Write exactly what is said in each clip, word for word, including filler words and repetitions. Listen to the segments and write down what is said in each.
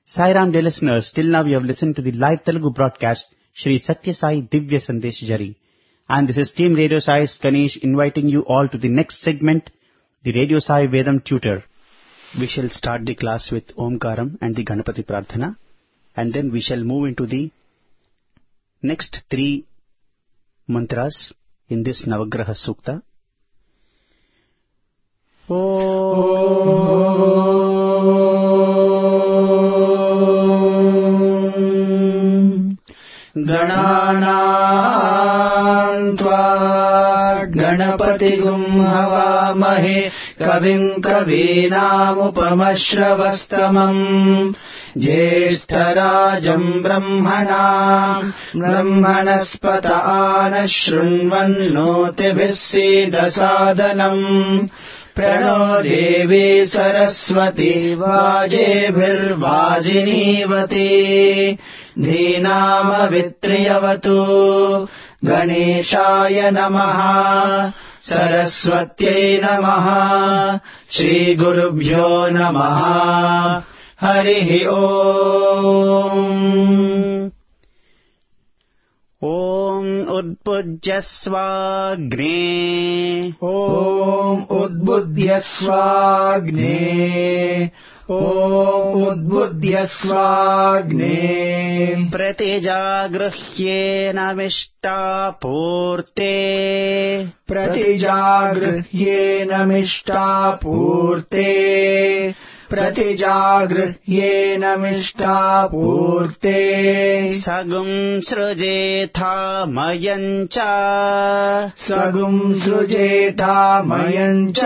Sai Ram dear listeners, till now you have listened to the live Telugu broadcast Shri Satya Sai Divya Sandesh Jari. And this is Team Radio Sai's Ganesh inviting you all to the next segment, the Radio Sai Vedam Tutor. We shall start the class with Omkaram and the Ganapati Prarthana, and then we shall move into the next three mantras in this Navagraha Sukta. गणानां त्वा गणपतिगुं हवामहे कविं कवीनामुपमश्रवस्तमम् ज्येष्ठराजम् ब्रह्मणाम् ब्रह्मणस्पत आनः शृण्वन्नोतिभिः सीदसादनम् प्रणो देवी सरस्वती वाजेभिर्वाजिनीवती धीनामवित्र्यवतु गणेशाय नमः सरस्वत्यै नमः श्रीगुरुभ्यो नमः हरिः ओम् ॐ उद्बुज्यस्वाग्ने ॐ उद्बुध्यस्वाग्ने ॐ उद्बुध्यस्वाग्ने प्रतिजागृह्येनमिष्टापूर्ते प्रतिजागृह्येनमिष्टापूर्ते प्रतिजागृह्येनमिष्टापूर्ते सगुं सृजेथामयं च सगुं सृजेथामयं च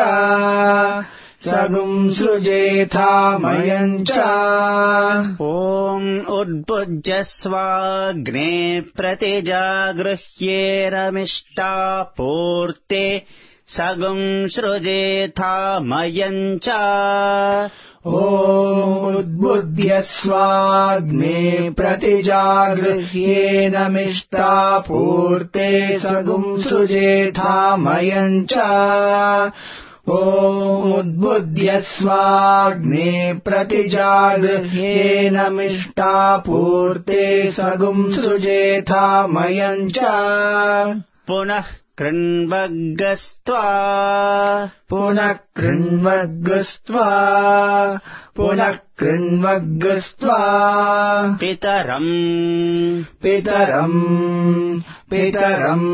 सगुं सृजेथामयं च ॐ उद्बुज्यस्वाग्ने प्रतिजागृह्येनमिष्टापूर्ते सगुं सृजेथामयं च ॐ उद्बुध्यस्वाग्ने प्रतिजागृह्येनमिष्टापूर्ते सगुं सृजेथामयं च ॐ उद्बुध्यस्वाग्ने प्रतिजागृह्येनमिष्टापूर्ते सगुं सृजेथामयं च पुनः कृण्वग्गस्त्वा पुनः कृण्वग्गस्त्वा पुनः कृण्वग्गस्त्वा पितरम् पितरम् पितरम्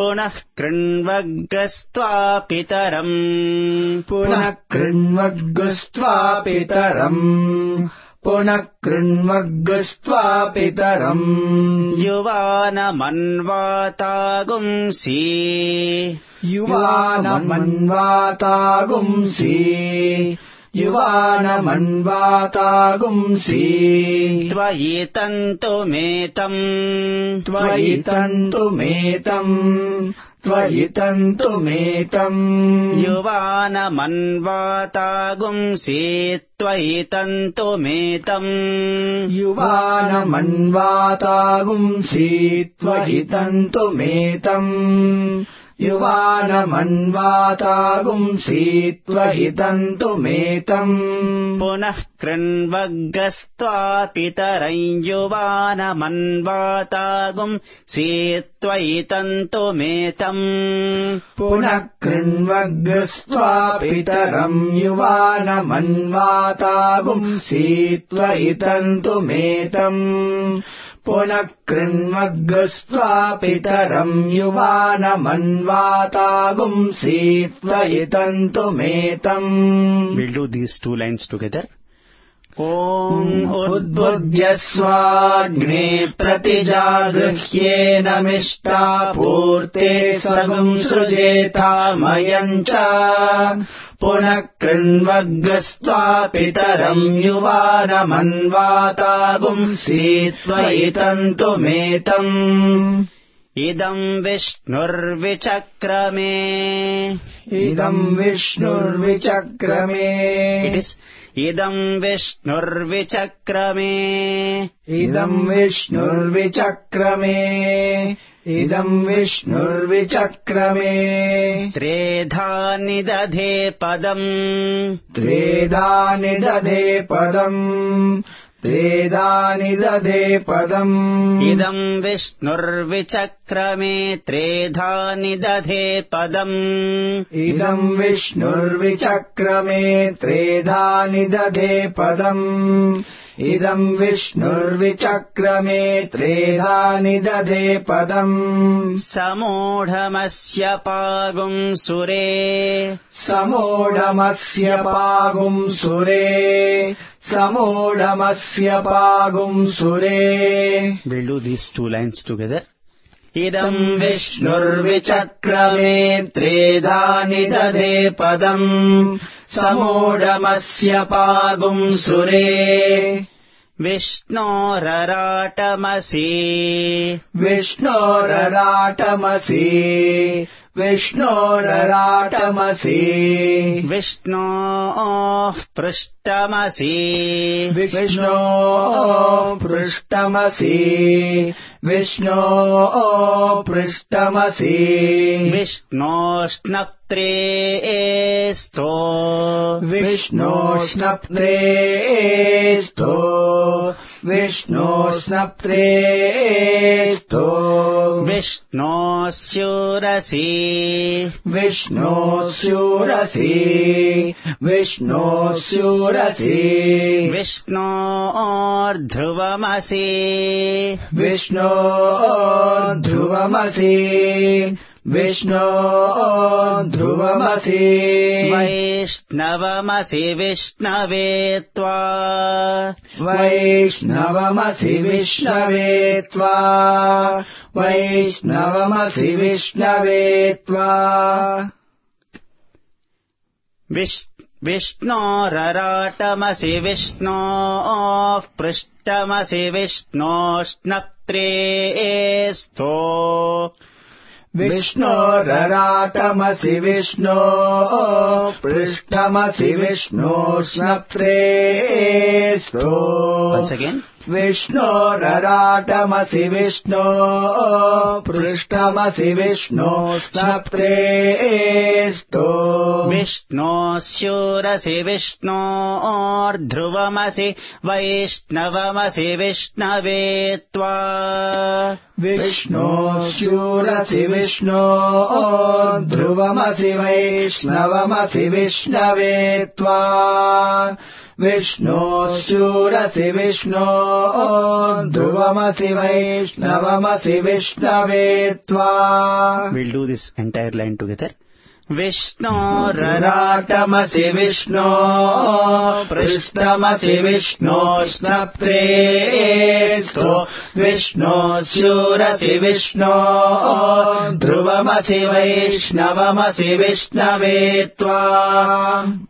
पुनः कृण्वग्गस्त्वा पितरम् पुनः कृण्वग्गस्त्वा पितरम् पुनः कृण्वग्गस्त्वा पितरम् युवानमन्वातागुंसि युवानमन्वातागुंसि युवानमन्वातागुंसि त्वयि तन्तुमेतम् त्वयि तन्तुमेतम् त्वयि तन्तुमेतम् युवानमन्वातागुंसि त्वयि तन्तुमेतम् युवानमन्वातागुंसि त्वयि तन्तुमेतम् युवानमन्वातागुंसि त्वयि तन्तुमेतम् पुनः कृण्वग्गस्त्वा पितरं युवानमन्वातागुंसि त्वयि तन्तुमेतम् पुनः कृण्वग्गस्त्वा पितरम् युवानमन्वातागुंसि त्वयि तन्तुमेतम् पुनः कृण्वग्गस्त्वा पितरम् युवानमन्वातागुंसि त्वयि तन्तुमेतम्. We'll do these two lines together. ॐ उद्बुज्यस्वाग्ने प्रतिजागृह्येनमिष्टापूर्ते सगुं सृजेथामयं च पुनः कृण्वग्गस्त्वा पितरम् युवानमन्वातागुंसि त्वयि तन्तुमेतम्. इदम् विष्णुर्विचक्रमे इदम् विष्णुर्विचक्रमे It is इदम् विष्णुर्विचक्रमे इदम् विष्णुर्विचक्रमे इदम् विष्णुर्विचक्रमे त्रेधा निदधे पदम् त्रेधा निदधे पदम् त्रेधानि दधे पदम् इदम् विष्णुर्विचक्रमे त्रेधानि दधे पदम् इदम् विष्णुर्विचक्रमे त्रेधानि दधे पदम् इदम् विष्णुर्विचक्रमे त्रेधानि दधे पदम् समूढमस्य पागुम् सुरे समूढमस्य पागुम् सुरे समूढमस्य पागुम् सुरे. We'll do these two lines together. इदम् विष्णुर्विचक्रमे त्रेधानि दधे पदम् समूढमस्य पागुम् सुरे विष्णोरराटमसि विष्णोरराटमसि विष्णोरराटमसि विष्णोः पृष्ठमसि विष्णोः पृष्ठमसि विष्णोः पृष्ठमसि विष्णोष्णप्त्रेस्तो विष्णोष्णप्त्रेस्तो विष्णोष्णप्त्रेस्तो विष्णोस्यूरसि विष्णोस्यूरसि विष्णोस्यूरसि विष्णोर्ध्रुवमसि विष्णो ध्रुवमसि विष्णो ध्रुवमसि वैष्णवमसि विष्णवे त्वा वैष्णवमसि विष्णवे त्वा वैष्णवमसि विष्णवे त्वा विष्णोरराटमसि विष्णोः पृष्ठमसि विष्णोष्णप्त्रेस्तो विष्णोरराटमसि विष्णो पृष्ठमसि विष्णोष्णप्त्रेस्तो. Once again. विष्णोरराटमसि विष्णो पृष्ठमसि विष्णोष्णप्त्रेस्तो विष्णोस्यूरसि विष्णोर्ध्रुवमसि वैष्णवमसि विष्णवे त्वा विष्णोस्यूरसि विष्णो ध्रुवमसि वैष्णवमसि विष्णवे त्वा विष्णोस्यूरसि विष्णो ध्रुवमसि वैष्णवमसि विष्णवे त्वा. We'll do this entire line together. विष्णोरराटमसि विष्णो पृष्ठमसि विष्णोष्णप्त्रेस्तो विष्णोस्यूरसि विष्णो ध्रुवमसि वैष्णवमसि विष्णवे त्वा.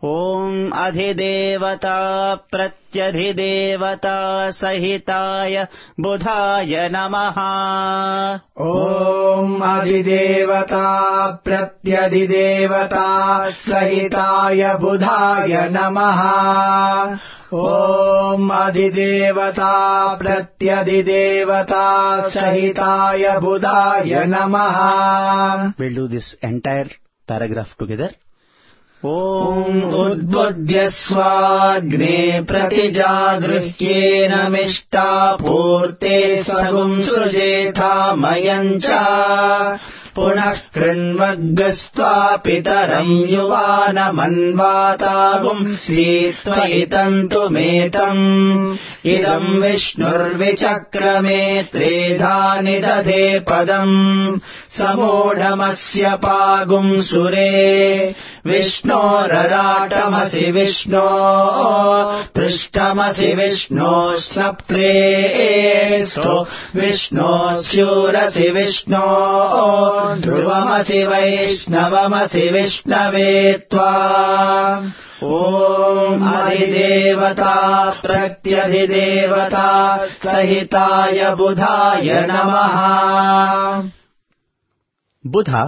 ॐ अधिदेवता प्रत्यधिदेवता सहिताय बुधाय नमः. ॐ अधिदेवता प्रत्यधिदेवता सहिताय बुधाय नमः. ॐ अधिदेवता प्रत्यधिदेवता सहिताय बुधाय नमः. We'll do this entire paragraph together. ॐ उद्बुध्यस्वाग्ने प्रतिजागृह्येन मिष्टापूर्ते सगुं सृजेथामयम् च पुनः कृण्वग्गस्त्वा पितरम् युवानमन्वातागुम् सीत्वयितन्तुमेतम् इदम् विष्णुर्विचक्रमे त्रेधानि दधे पदम् समूढमस्य पागुम् सुरे विष्णोरराटमसि विष्णो पृष्ठमसि विष्णोष्णप्त्रेस्तो विष्णोस्यूरसि विष्णो ध्रुवमसि वैष्णवमसि विष्णवे त्वा. ॐ अधिदेवता प्रत्यधिदेवता सहिताय बुधाय नमः. Buddha,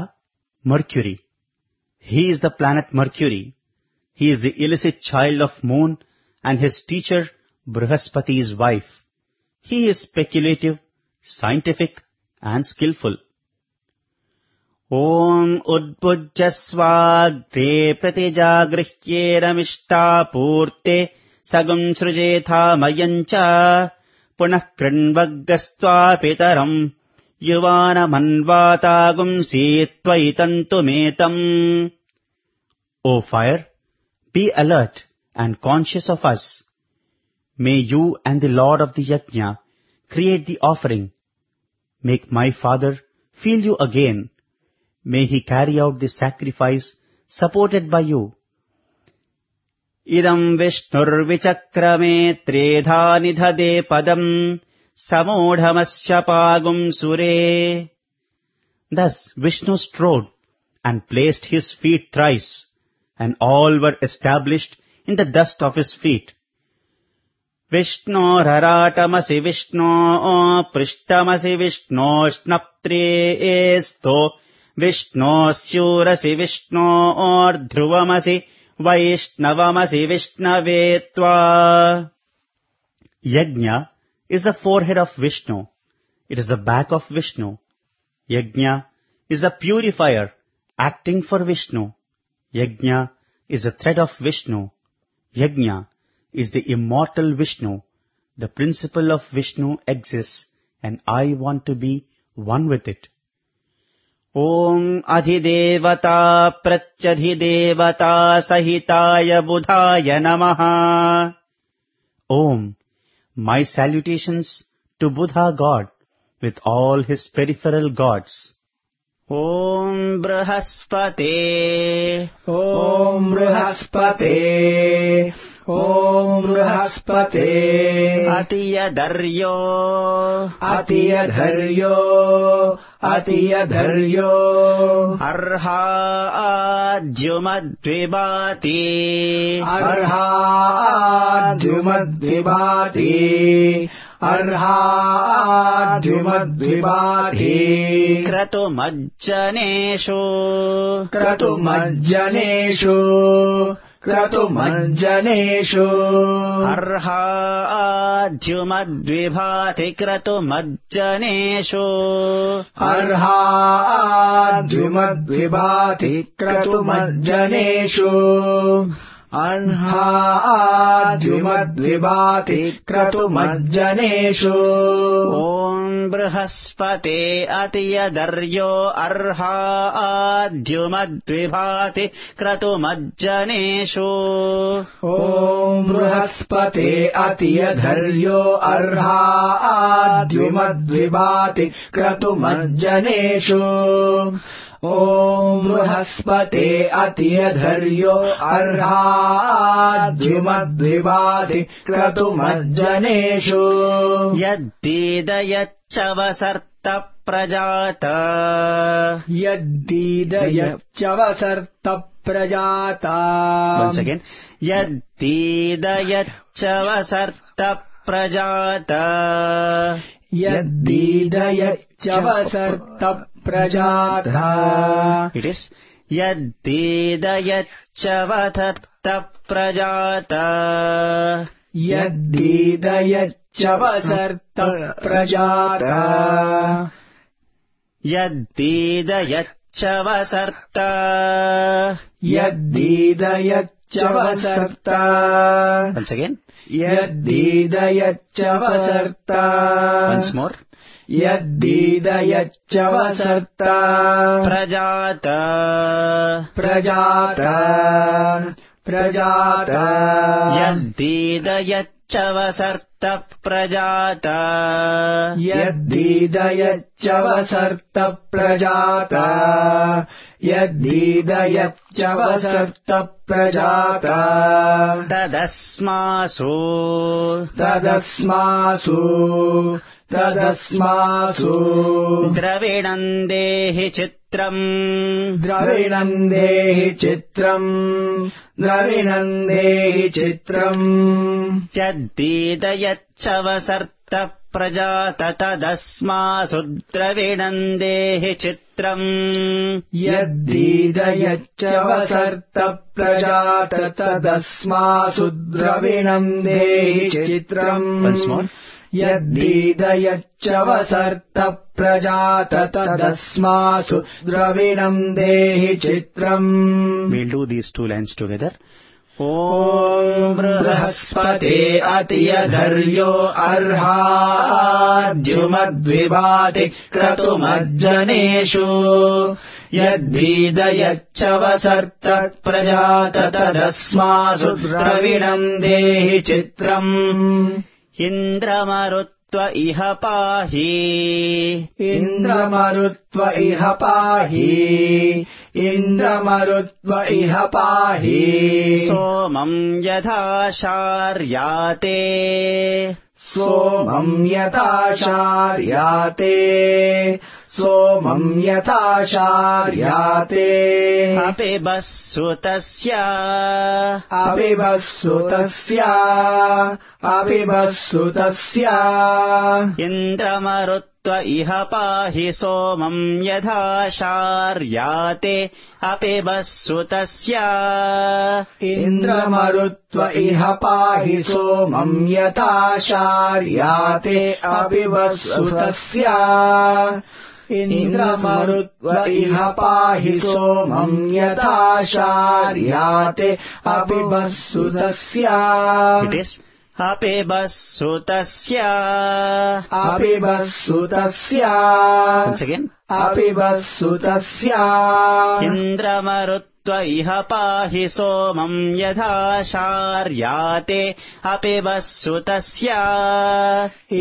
Mercury. He is the planet Mercury. He is the illicit child of Moon and his teacher Brihaspati's wife. He is speculative, scientific and skillful. Om udbujyasvagre pratijagrihyena mishtapurte sagum srujetha mayancha punah krinvaggasva pitaram yuvana manvatagum setvaitantumetam. O fire, be alert and conscious of us. May you and the Lord of the Yajna create the offering. Make my father feel you again. May he carry out the sacrifice supported by you. Idam Vishnur vichakrame tredha nidhade padam samodhamasya pagum sure. Thus Vishnu strode and placed his feet thrice, and all were established in the dust of his feet. Vishno raratamasi Vishno prishtamasi Vishno snaptreesto Vishno syurasi Vishno dhruvamasi Vaishnavamasi Vishnavetva. Yajna is the forehead of Vishnu. It is the back of Vishnu. Yajna is a purifier acting for Vishnu. Yajna is the thread of Vishnu. Yajna is the immortal Vishnu. The principle of Vishnu exists, and I want to be one with it. Om Adhidevata Pratyadhidevata Sahitaya Budhaya Namaha. Om, my salutations to Buddha God with all his peripheral gods. Om Brihaspate, Om Brihaspate, Om Brihaspate, Atiyadaryo, Atiyadharyo, Atiyadharyo, Arha Adjumadvibati, Arha Adjumadvibati, Arha Adjumadvibati, Kratumajjaneshu, Kratumajjaneshu, Kratumajjaneshu, Arha Adjumadvibati Kratumajjaneshu, Arha Adjumadvibati Kratumajjaneshu, Arha Adjumadvibati Kratumajjaneshu. Om Brihaspate Atiyadaryo Arha Adjumadvibati Kratumajjaneshu. Om Brihaspate Atiyadharyo Arha Adjumadvibati Kratumajjaneshu. Om Brihaspate Atiyadharyo Arha Adjumadvibati Kratumajjaneshu. Yaddidayachavasarta prajata, Yaddidayachavasarta prajata. Once again, Yaddidayachavasarta prajata, Yaddidayachavasarta prajata. It is Yaddidayachavasarta prajata, Yaddidayachavasarta prajata, Yaddidayachavasarta, Yaddidayachavasarta. Once again, Yaddidayachavasarta. once more, Yaddidayachavasarta prajata, prajata, prajata. Yaddidayachavasarta prajata, Yaddidayachavasarta prajata, Yaddidayachavasarta prajata. Tadasmasu, Tadasmasu, Tadasmasu, Dravinandehi chitram, Dravinandehi chitram, Dravinandehi chitram. Yaddidayachavasarta prajata tadasmasu Dravinandehi chitram. Yaddidayachavasarta prajata tadasmasu Dravinandehi chitram. Once more. Yaddidayachavasarta prajata tadasmasu Dravinandehi chitram. We'll do these two lines together. ॐ बृहस्पते अतियधर्यो अर्हाद्युमद्विवाति क्रतुमज्जनेषु यद्भीदयच्च वसर्त प्रजात तदस्मासु द्रविणम् देहि चित्रम् इन्द्रमरुत्व इह पाहि इन्द्रमरुत्व इह पाहि इन्द्रमरुत्व इह पाहि सोमम् यथा शार्याते सोमम् यथा शार्याते सोमम् यथा शार्याते अपिबस्सु तस्य अपिबस्सु तस्य अपिबस्सु तस्य इन्द्रमरुत्व इह पाहि सोमम् यथा शार्याते अपिबस्सु तस्य इन्द्रमरुत्व इह पाहि सोमम् यथा शार्याते अपिबस्सु तस्य इन्द्रमरुत्व इह पाहि सोमम् यथा शार्याते अपिबस्सु तस्य It is अपिबस्सु तस्य अपिबस्सु तस्य Once again अपिबस्सु तस्य इन्द्रमरुत्व इह पाहि सोमम् यथा शार्याते अपिबस्सु तस्य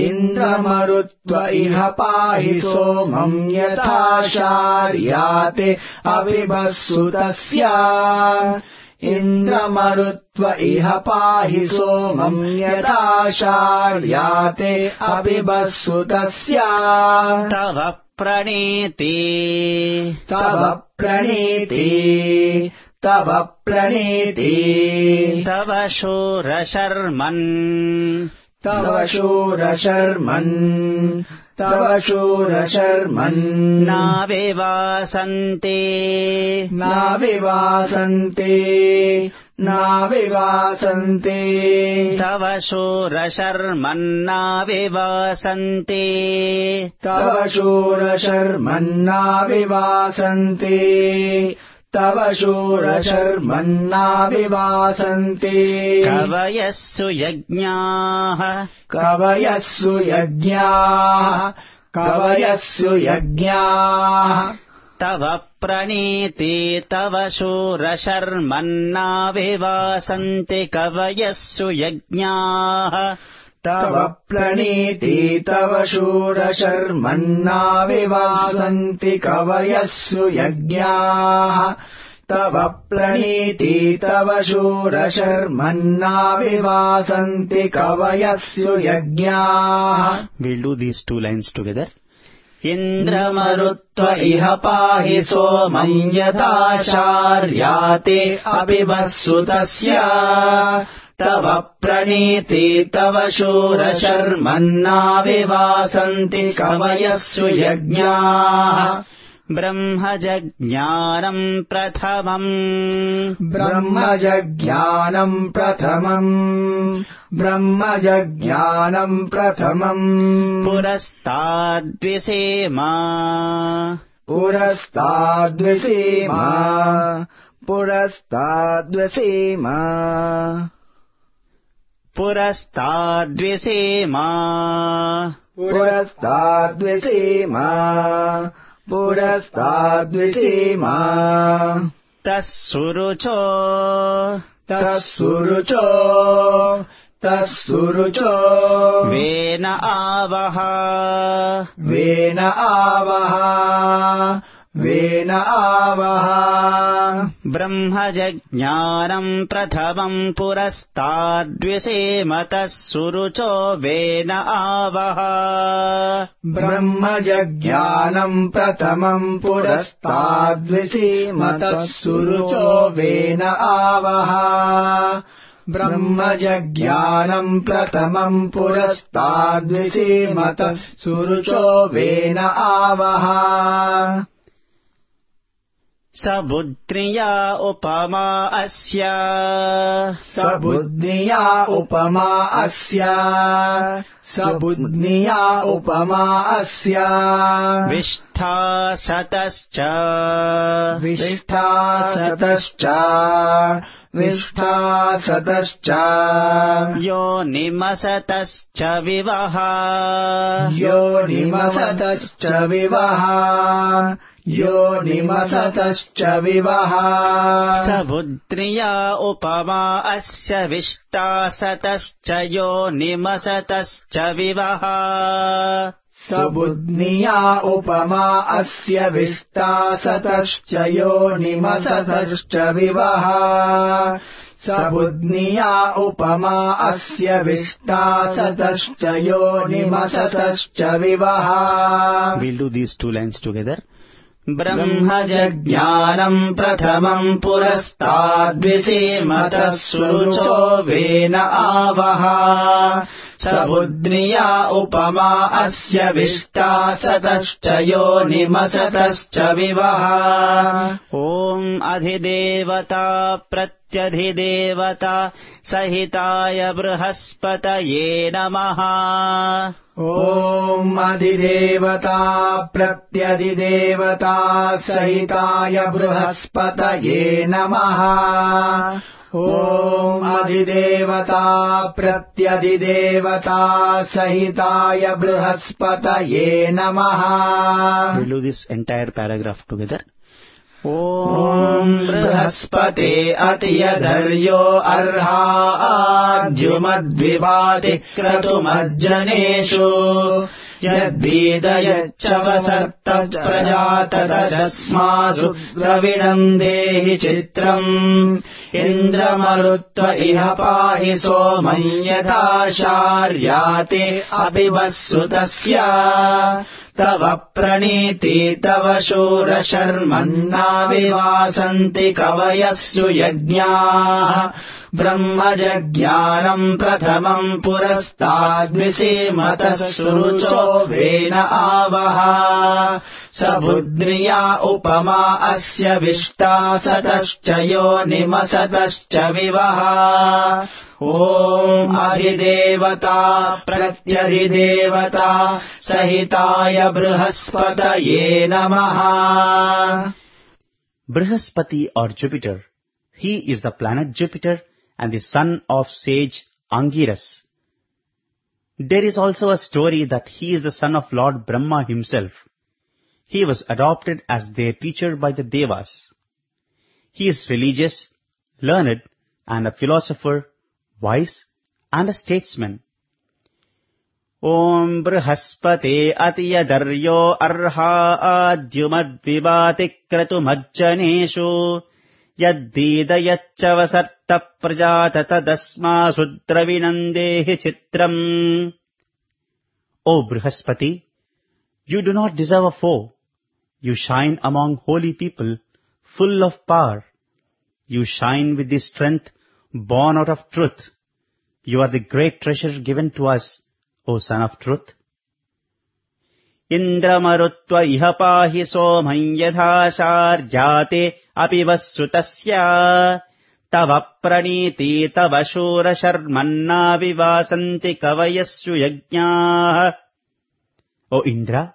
इन्द्रमरुत्व इह पाहि सोमम् यथा शार्याते अपिबस्सु तस्य इन्द्रमरुत्व इह पाहि सोमम् यथा शार्याते अपिबस्सु तस्य तव प्रणीति तव प्रणीति तव प्रणीति तव शूरशर्मन् तव शूरशर्मन् तव शूरशर्मन् नाविवासन्ते नाविवासन्ते नाविवासन्ते तव शूरशर्मन्नाविवासन्ते तव शूरशर्मन्नाविवासन्ते तव शूरशर्मन्नाविवासन्ते कवयस्सु यज्ञाः कवयस्सु यज्ञाः कवयस्सु यज्ञाः तव प्रणीति तव शूरशर्मन्नाविवासन्ति कवयस्सु यज्ञाः तव प्रणीति तव शूरशर्मन्नाविवासन्ति कवयस्सु यज्ञाः तव प्रणीति तव शूरशर्मन्नाविवासन्ति कवयस्सु यज्ञाः. We'll do these two lines together. इन्द्रमरुत्व इह पाहि सोमम् यथा शार्याते अपिबस्सु तस्य तव प्रणीति तव शूरशर्मन्नाविवासन्ति कवयस्सु यज्ञाः. ब्रह्मजज्ञानम् प्रथमम् ब्रह्मजज्ञानम् प्रथमम् ब्रह्मजज्ञानम् प्रथमम् पुरस्ताद्विसेमा पुरस्ताद्विसेमा पुरस्ताद्विसेमा पुरस्ताद्विसेमा पुरस्ताद्विसेमा पुरस्ताद्विसेमा तस्सुरुचो तस्सुरुचो तस्सुरुचो वेन आवह वेन आवह वेन आवह ब्रह्मजज्ञानम् प्रथमम् पुरस्ताद्विसेम तस्सुरुचो वेन आवह ब्रह्मजज्ञानम् प्रथमम् पुरस्ताद्विसेम तस्सुरुचो वेन आवह ब्रह्मजज्ञानम् प्रथमम् पुरस्ताद्विसेम तस्सुरुचो वेन आवह. सबुद्ध्रिया उपमा अस्य सबुद्ध्रिया उपमा अस्य सबुद्ध्रिया उपमा अस्य विष्ठा सतश्च विष्ठा सतश्च विष्टासतश्च योनिमसतश्च विवः योनिमसतश्च विवः योनिमसतश्च विवः सबुद्रिया उपमा अस्य विष्टासतश्च योनिमसतश्च विवः सबुद्निया उपमा अस्य विष्टासतश्च योनिमसतश्च विवः सबुद्निया उपमा अस्य विष्टासतश्च योनिमसतश्च विवः. We'll do these two lines together. ब्रह्मजज्ञानम् प्रथमम् पुरस्ताद्विसीमतः सुरुचो वेन आवः सबुद्निया उपमा अस्य विष्टासतश्च योनिमसतश्च विवः. ॐ अधिदेवता प्रत्यधिदेवता सहिताय बृहस्पतये नमः. ॐ अधिदेवता प्रत्यधिदेवता सहिताय बृहस्पतये नमः. ॐ अधिदेवता प्रत्यधिदेवता सहिताय बृहस्पतये नमः. We'll do this entire paragraph together. ॐ बृहस्पते अतियधर्यो अर्हाद्युमद्विवाति क्रतुमज्जनेषु यद्वीदयच्च वसर्त प्रजातदस्मासु द्रविणम् देहि चित्रम् इन्द्रमरुत्व इह पाहि सोमम् यथा शार्याते अपि वस्सुतस्य तव प्रणीति तव शूरशर्मन्ना विवासन्ति कवयस्सु यज्ञाः ब्रह्मजज्ञानम् प्रथमम् पुरस्ताद्विसीमतः सुरुचो वेन आवः सबुद्रिया उपमा अस्य विष्टासतश्च योनिमसतश्च विवः. ॐ अधिदेवता प्रत्यधिदेवता सहिताय बृहस्पतये नमः. Brihaspati or Jupiter, he is the planet Jupiter and the son of sage Angiras. There is also a story that he is the son of Lord Brahma himself. He was adopted as their teacher by the Devas. He is religious, learned, and a philosopher, wise, and a statesman. Om Brihaspate Atiyadaryo Arha Adyumadvibati Kratumajjaneshu Yaddidayachavasarta Prajatadasma Sudravinandehi Chitram. O Brihaspati, you do not deserve a foe. You shine among holy people, full of power. You shine with the strength born out of truth. You are the great treasure given to us, O son of truth. Indramarutva iha pahi somam yatha sharyate api vassutasya tava praniti tava shura sharmanna vivasanti kavayassu yajñāh. O Indra,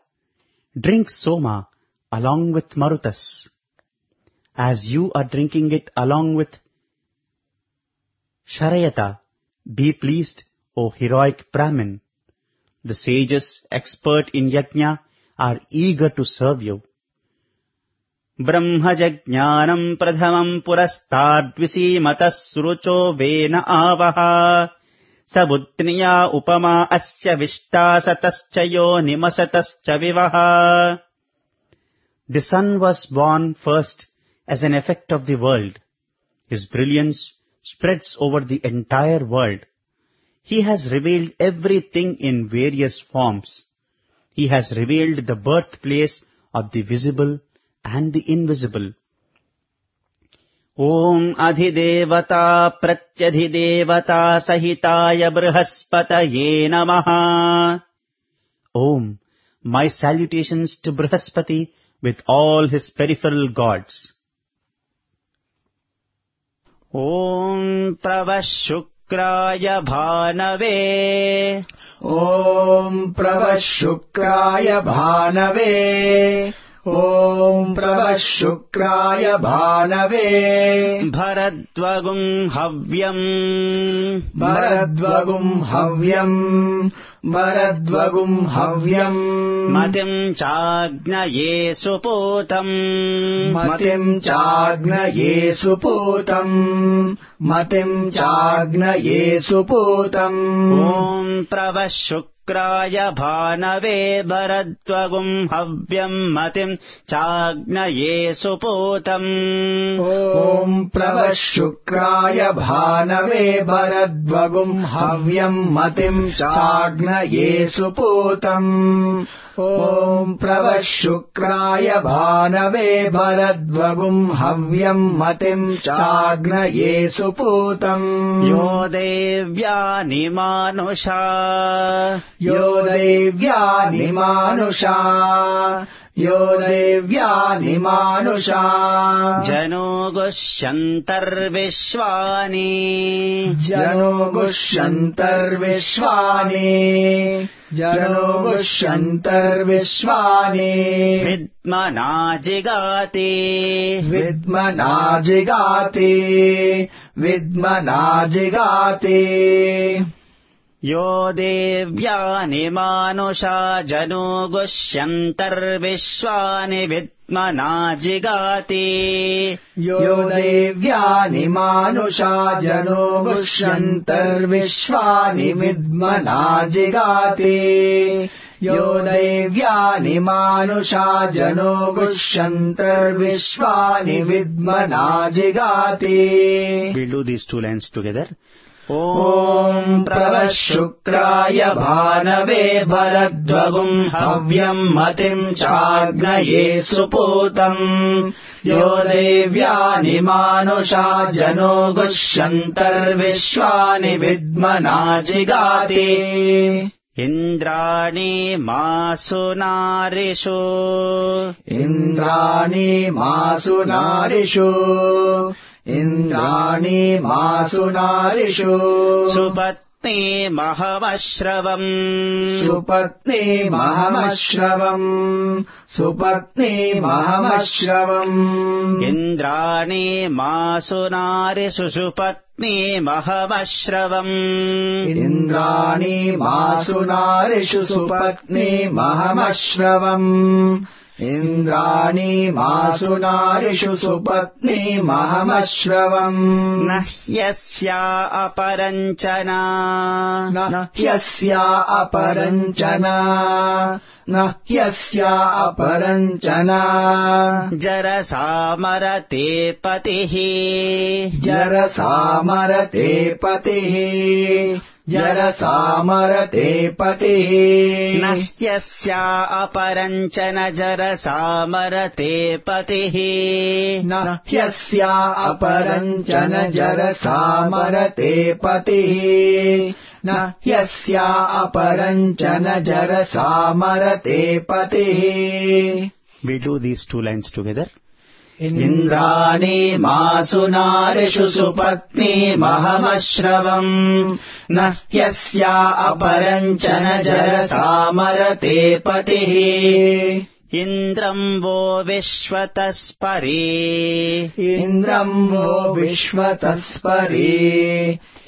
drink Soma along with Marutas. As you are drinking it along with Sharayata, be pleased, O heroic Brahmin. The sages, expert in yajna, are eager to serve you. Brahmajajnanam pradhamam purastadvisimatas surucho vena avaha sabudniya upama asya vishtasatascha yonimasatascha vivaha. The sun was born first as an effect of the world. His brilliance spreads over the entire world. He has revealed everything in various forms. He has revealed the birthplace of the visible and the invisible. Om Adhidevata Pratyadhidevata Sahitaya Brihaspataye Namaha. Om, my salutations to Brihaspati with all his peripheral gods. Om Pravashukraya Bhanave. Om Pravashukraya Bhanave. ॐ प्रभः शुक्राय भानवे भरद्वगुं हव्यम् भरद्वगुं हव्यम् भरद्वगुं हव्यम् मतिम् चाग्नये सुपूतम् मतिम् चाग्नये सुपूतम् मतिम् चाग्नये सुपूतम् ॐ प्रभः शुक्राय भानवे भरद्वगुं हव्यम् मतिम् चाग्नये सुपूतम् ॐ प्रभः शुक्राय भानवे भरद्वगुं हव्यम् मतिम् चाग्नये सुपूतम् ॐ प्रभः शुक्राय भानवे भरद्वगुं हव्यम् मतिम् चाग्नये सुपूतम् यो देव्यानि मानुषा यो देव्यानि मानुषा यो देव्यानि मानुषा जनो गुष्यन्तर्विश्वानि जनो गुष्यन्तर्विश्वानि जनो गुष्यन्तर्विश्वानि विद्मना जिगाति विद्मना जिगाति विद्मना जिगाति यो देव्यानि मानुषा जनो गुष्यन्तर्विश्वानि विद्मना जिगाति यो देव्यानि मानुषा जनो गुष्यन्तर्विश्वानि विद्मना जिगाति यो देव्यानि मानुषा जनो गुष्यन्तर्विश्वानि विद्मना जिगाति. We'll do these two lines together. ॐ प्रभः शुक्राय भानवे भरद्वगुं हव्यम् मतिम् चाग्नये सुपूतम् यो देव्यानि मानुषा जनो गुष्यन्तर्विश्वानि विद्मना जिगाति. इन्द्राणि मासु नारिषु इन्द्राणि मासु नारिषु इन्द्राणि मासु नारिषु सुपत्नी महमश्रवम् सुपत्नी महमश्रवम् सुपत्नी महमश्रवम् इन्द्राणि मासु नारिषु सुपत्नी महमश्रवम् इन्द्राणि मासु नारिषु सुपत्नी महमश्रवम् इन्द्राणि मासु नारिषु सुपत्नी महमश्रवम् न ह्यस्या अपरञ्चना न ह्यस्या अपरञ्चना न ह्यस्या अपरञ्चना जरसामरते पतिः जरसामरते पतिः जरसामरते पतिः न ह्यस्या अपरञ्चन जरसामरते पतिः न ह्यस्या अपरञ्चन जरसामरते पतिः न ह्यस्या अपरञ्चन जरसामरते पतिः. We do these two lines together. इन्द्राणि मासु नारिषु सुपत्नी महमश्रवम् न ह्यस्या अपरञ्चन जरसामरते पतिः. इन्द्रम् वो विश्वतस्परे इन्द्रम् वो विश्वतस्परे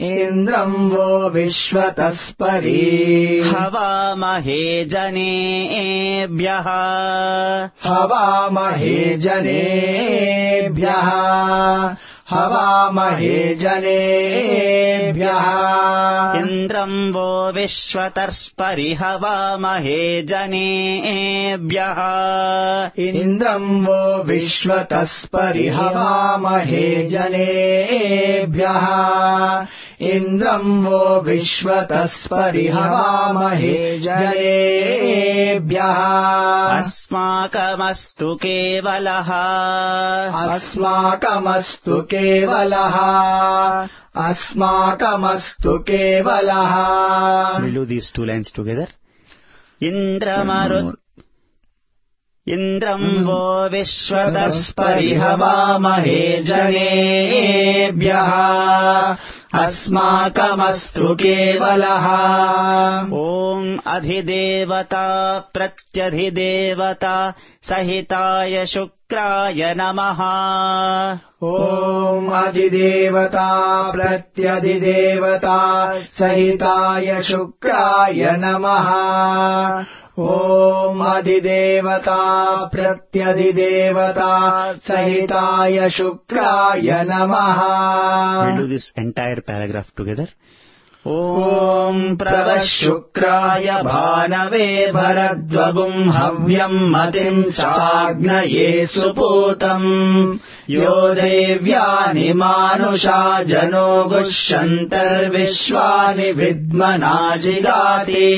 इन्द्रम् वो विश्वतस्परे हवामहे जनेभ्यः हवामहे जनेभ्यः हवामहे जनेभ्यः इन्द्रम् वो विश्वतस्परि हवामहे जनेभ्यः इन्द्रम् वो विश्वतस्परि हवामहे जनेभ्यः इन्द्रम् वो विश्वतस्परि हवामहे जनेभ्यः. अस्माकमस्तु केवलः अस्माकमस्तु केवलः अस्माकमस्तु केवलः. We'll do these two lines together. इन्द्रमरु इन्द्रम् वो विश्वतस्परि हवामहे जनेभ्यः अस्माकमस्तु केवलः। ॐ अधिदेवता प्रत्यधिदेवता सहिताय शुक्राय नमः। ॐ अधिदेवता प्रत्यधिदेवता सहिताय शुक्राय नमः। ॐ अधिदेवता प्रत्यधिदेवता सहिताय शुक्राय नमः। We'll do this entire paragraph together. ॐ प्रवः शुक्राय भानवे भरद्वगुम् हव्यम् मतिम् चाग्नये सुपूतम् यो देव्यानि मानुषा जनो गुष्यन्तर्विश्वानि विद्मना जिगाति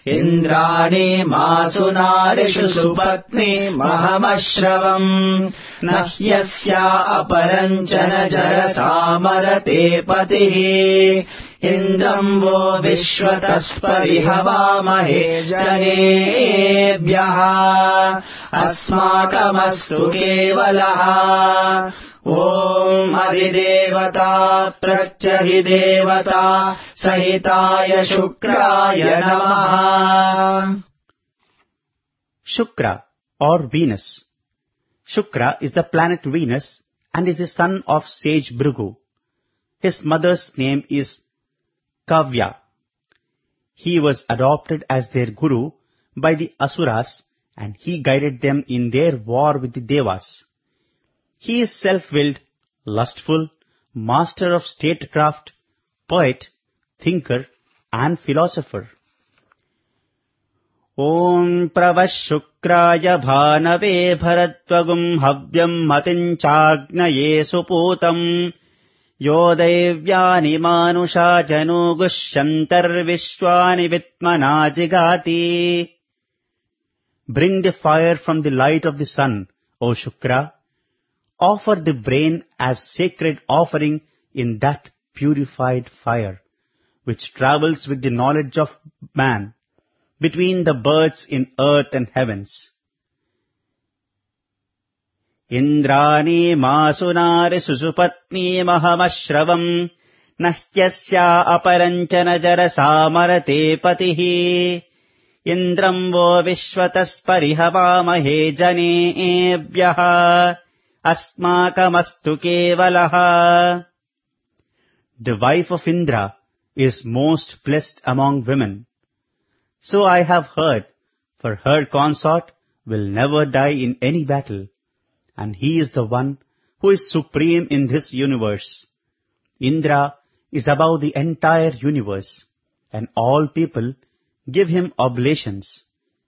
इन्द्राणि मासु नारिषु सुपत्नि महमश्रवम् न ह्यस्या अपरञ्चन जरसामरते पतिः इन्द्रम् वो विश्वतः परिहवामहे जनेभ्यः अस्माकमस्तु केवलः। ॐ अधिदेवता प्रत्यधिदेवता सहिताय शुक्राय नमः। Shukra or Venus. Shukra is the planet Venus and is the son of sage Bhrigu. His mother's name is Kavya. He was adopted as their guru by the Asuras and he guided them in their war with the Devas. He is self-willed, lustful, master of statecraft, poet, thinker and philosopher. Om pravah shukraya bhanave bharatvagum havyam matin chagnaye suputam yo devyani manusha janu gushyantar vishwani vitmana jigati. Bring the fire from the light of the sun, O Shukra. Offer the brain as sacred offering in that purified fire, which travels with the knowledge of man between the birds in earth and heavens. Indrani masunari susupatni mahamashravam nahyasya aparanchana jarasamarate patihi indram vo vishwatas parihavamahe janebhyaha asmakamastu kevalaha. The wife of Indra is most blessed among women. So I have heard, for her consort will never die in any battle, and he is the one who is supreme in this universe. Indra is above the entire universe, and all people give him oblations,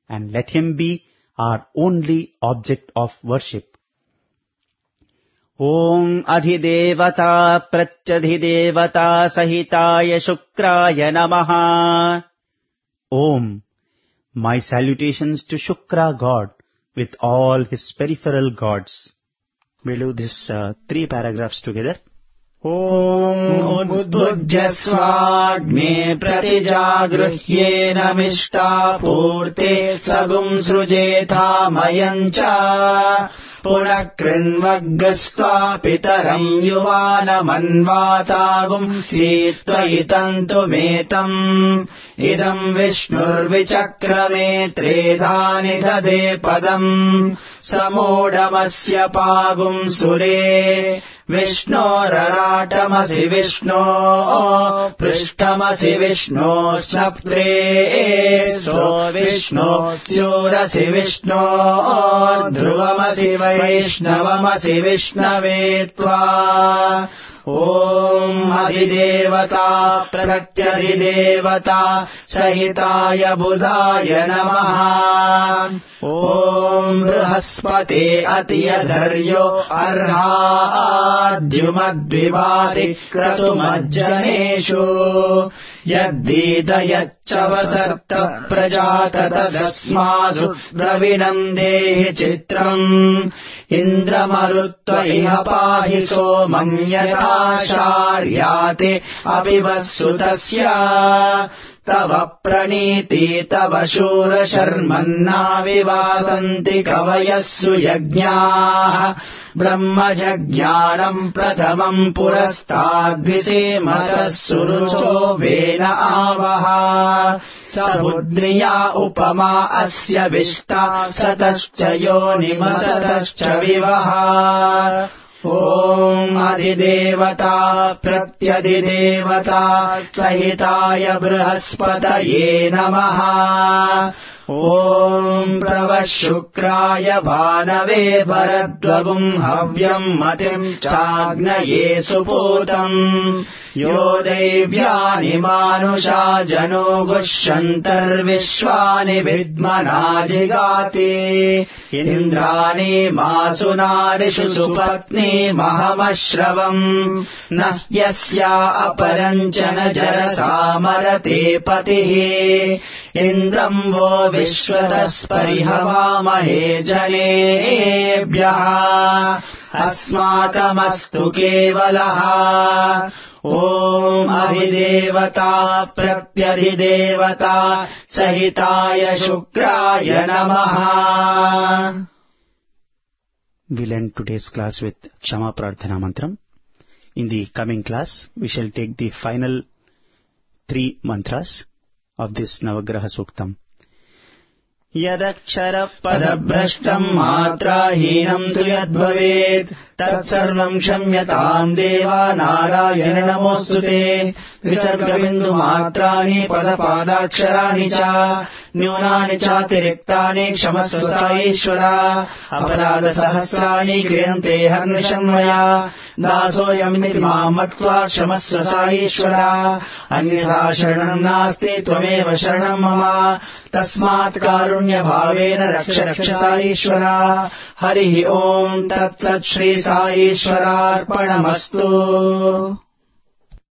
and let him be our only object of worship. Om adhidevata pratyadhidevata sahitaya shukraya namaha. Om, my salutations to Shukra God with all his peripheral gods. We'll do this uh, three paragraphs together. Om udbhujyasvagne pratijagruhyena mishta purte sagum srujetha mayancha punah krinvaggasva pitaram yuvanamannvatagum sitvayitantu metam idam vishnurvichakrame tredhani dade padam samodamasya pagum sure Vishnoraratamasi Vishno Prishtamasi Vishno Snaptre So Vishno Surasi Vishno Dhruvamasi Vaishnavamasi Vishnavetva Om Adhidevata Pratyadhidevata Sahitaya Budhaya Namaha Om Brihaspate Atiyadharyo Arhadyumadvivati Kratumajjaneshu Yaddita Yachavasarta Prajatata Dasmasu Dravinandehi Chitram Indramarutva iha pahi somam yatha sharyate abhivassutasya tava praniti tava shura sharmanna vivasanti kavayassu yajñāः ब्रह्मजज्ञानम् प्रथमम् पुरस्ताद्विसीमतः सुरुचो वेन आवः स बुद्ध्या उपमा अस्य विष्टा सतश्च योनिमसतश्च विवः ॐ अधिदेवता प्रत्यधिदेवता सहिताय बृहस्पतये नमः ॐ प्रवः शुक्राय भानवे भरद्वगुम् हव्यम् मतिम् चाग्नये सुपूतम् यो दैव्यानि मानुषा जनो गुष्यन्तर्विश्वानि विद्मना जिगाति इन्द्राणि मासुनारिषु सुपत्नी महमश्रवम् न ह्यस्या अपरम् च न जरसामरते पतिः इन्द्रम् वो विश्वतस्परिहवामहे जनेभ्यः अस्माकमस्तु केवलः ॐ अधिदेवता प्रत्यधिदेवता सहिताय शुक्राय नमः. We'll end today's class with Kshama Prarthana Mantram. In the coming class, we shall take the final three mantras of this Navagraha Suktam. यदक्षरपदभ्रष्टम् मात्राहीनम् तु यद्भवेत् तत्सर्वम् क्षम्यताम् देवा नारायण नमोऽस्तु ते. विसर्गबिन्दुमात्राणि पदपादाक्षराणि च न्यूनानि चातिरिक्तानि क्षमस्व ईश्वर. अपराधसहस्राणि क्रियन्ते हर्निशन्मया दासोऽयमिति माम् मत्वा क्षमस्व ईश्वर. अन्यथा शरणम् नास्ति त्वमेव शरणम् मम तस्मात् कारुण्यभावेन रक्ष रक्ष ईश्वर. हरिः ओम् तत्सत् श्री साईश्वरार्पणमस्तु.